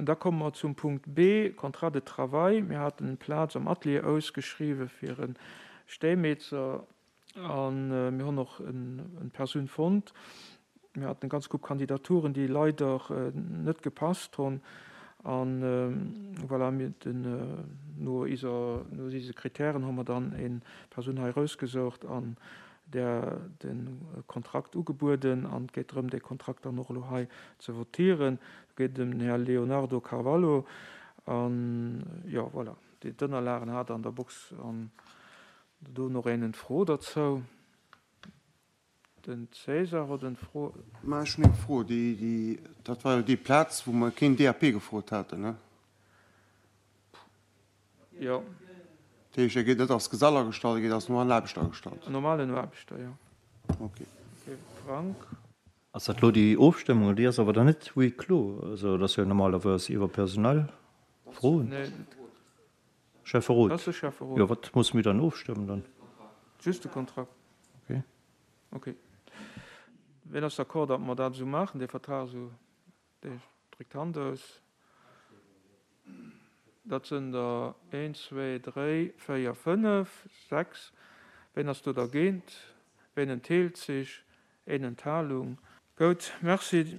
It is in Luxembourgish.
Da komme mer zum Punkt B, Contrat de travail. Mir haten eng Plaz am Atelier ausgeschriwwen fir e Stéimeezer a mir hunn och eng Persoun fonnt. Mir haten eng ganz Grupp Kandidaturen, déi leider net gepasst hunn. A voilà, mir den, no iser, no ise Kritären hu mer dann eng Persoun hei erausgesoucht an där de Kontrakt ugebueden. An et geet drëm, dee Kontrakt dann och elo hei ze votieren. Do geet et ëm den Här Leonardo Carvalho. An, jo, voilà, déi d'Ënnerlagen hat Der an der Box. An do hunn och een en Fro derzou. Den César huet en Fro. Mä ech hunn eng Fro. Déi, déi, dat war jo déi Plaz, wou mer keen DAP gefrot haten, ne? Jo. Dat heescht, e geet net als Gesell agestallt, e geet als normalen Aarbechter agestallt? En normalen Aarbechter, jo. Ok. Ok, Frank. Ass dat elo déi Ofstëmmung? Déi ass awer dann net huis clos. Also dat ass jo normalerweis iwwer personell Froen. Nee. Schäfferot. Dat ass de Schäfferot. Jo, wat musse mir dann ofstëmmen dann? Just de Kontrakt. Ok. Ok. Wien ass d'accord, datt mer dat esou maachen, dee Vertrag esou? Dee dréckt d'Hand aus. Dat sënn der een, zwee, dréi, véier, fënnef, sechs. Wien ass do dergéint? Wien entheelt sech? Een Enthalung. Goud, Merci.